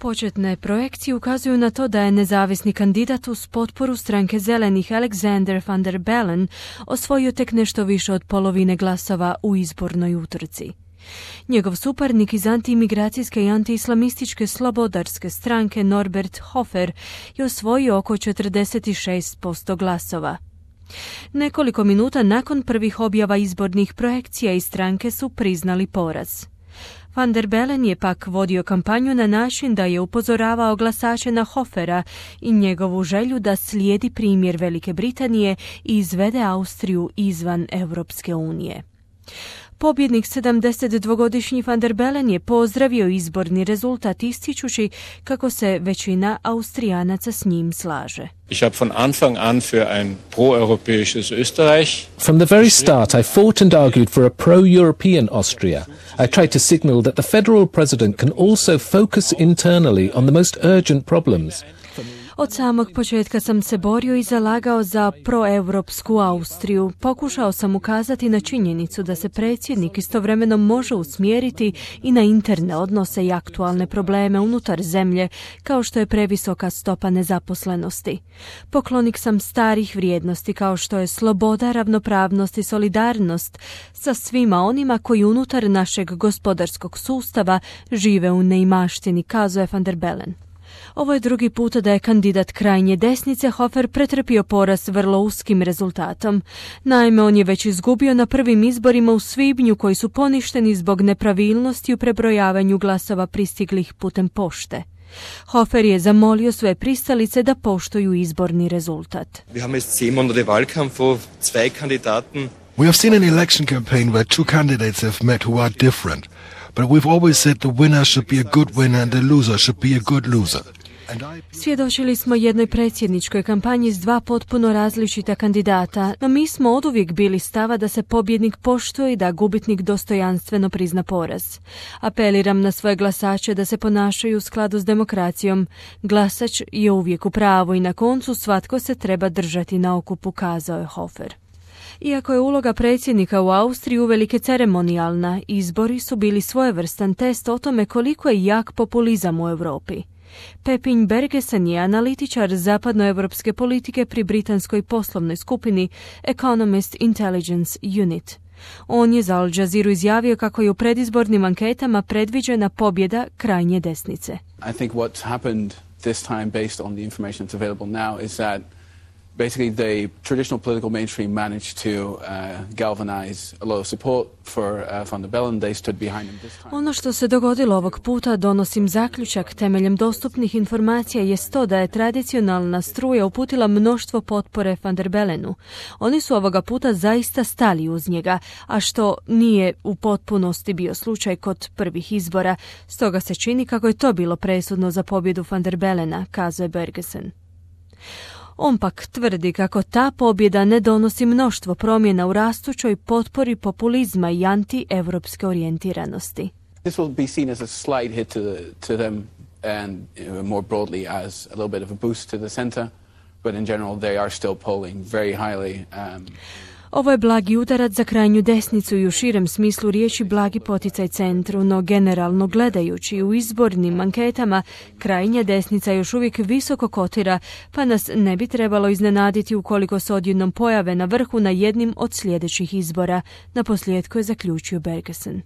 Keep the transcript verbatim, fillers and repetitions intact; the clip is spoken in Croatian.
Početne projekcije ukazuju na to da je nezavisni kandidat uz potporu stranke zelenih Alexander Van der Bellen osvojio tek nešto više od polovine glasova u izbornoj utrci. Njegov suparnik iz antiimigracijske i antiislamističke slobodarske stranke Norbert Hofer je osvojio oko četrdeset šest posto glasova. Nekoliko minuta nakon prvih objava izbornih projekcija iz stranke su priznali poraz. Van der Bellen je pak vodio kampanju na način da je upozoravao glasače na Hofera i njegovu želju da slijedi primjer Velike Britanije i izvede Austriju izvan Europske unije. Pobjednik sedamdesetdvogodišnji Van der Bellen je pozdravio izborni rezultat ističući kako se većina Austrijanaca s njim slaže. Ich habe von Anfang an für ein pro-europäisches Österreich. From the very start, I fought and argued for a pro-European Austria. I tried to signal that the federal president can also focus internally on the most urgent problems. Od samog početka sam se borio i zalagao za proeuropsku Austriju. Pokušao sam ukazati na činjenicu da se predsjednik istovremeno može usmjeriti i na interne odnose i aktualne probleme unutar zemlje, kao što je previsoka stopa nezaposlenosti. Poklonik sam starih vrijednosti kao što je sloboda, ravnopravnost i solidarnost sa svima onima koji unutar našeg gospodarskog sustava žive u neimaštini, kazao je Van der Bellen. Ovo je drugi put da je kandidat krajnje desnice Hofer pretrpio poraz vrlo uskim rezultatom. Naime, on je već izgubio na prvim izborima u svibnju koji su poništeni zbog nepravilnosti u prebrojavanju glasova pristiglih putem pošte. Hofer je zamolio svoje pristalice da poštuju izborni rezultat. Wir haben jetzt zehn Monate Wahlkampf, wo zwei Kandidaten. We have seen an election campaign where two candidates have met who are different. But we've always said the winner should be a good winner and the loser should be a good loser. Svjedočili smo jednoj predsjedničkoj kampanji s dva potpuno različita kandidata, no mi smo oduvijek bili stava da se pobjednik poštuje i da gubitnik dostojanstveno prizna poraz. Apeliram na svoje glasače da se ponašaju u skladu s demokracijom. Glasač je uvijek u pravu i na koncu svatko se treba držati na okupu, kazao je Hofer. Iako je uloga predsjednika u Austriji uvelike ceremonijalna, izbori su bili svojevrstan test o tome koliko je jak populizam u Europi. Pepin Bergesen je analitičar zapadnoevropske politike pri britanskoj poslovnoj skupini Economist Intelligence Unit. On je za Al Jazeera izjavio kako je u predizbornim anketama predviđena pobjeda krajnje desnice. I think what's happened this time based on the information that's available now is that basically the traditional political mainstream managed to uh, galvanize a lot of support for uh, Van der Bellen. They stood behind him this time. Ono što se dogodilo ovog puta, donosim zaključak temeljem dostupnih informacija, jest to da je tradicionalna struja uputila mnoštvo potpore Van der Bellenu. Oni su ovoga puta zaista stali uz njega, a što nije u potpunosti bio slučaj kod prvih izbora. Stoga se čini kako je to bilo presudno za pobjedu Van der Bellena, kazao je Bergesen. On pak tvrdi kako ta pobjeda ne donosi mnoštvo promjena u rastućoj potpori populizma i anti-evropske orijentiranosti. This will be seen as a slight hit to, the, to them and uh, more broadly as a little bit of a boost to the center, but in general they are still polling very highly. Um, Ovo je blagi udarac za krajnju desnicu i u širem smislu riječi blagi poticaj centru, no generalno gledajući u izbornim anketama krajnja desnica još uvijek visoko kotira, pa nas ne bi trebalo iznenaditi ukoliko se odjednom pojave na vrhu na jednim od sljedećih izbora, naposljetku je zaključio Bergesen.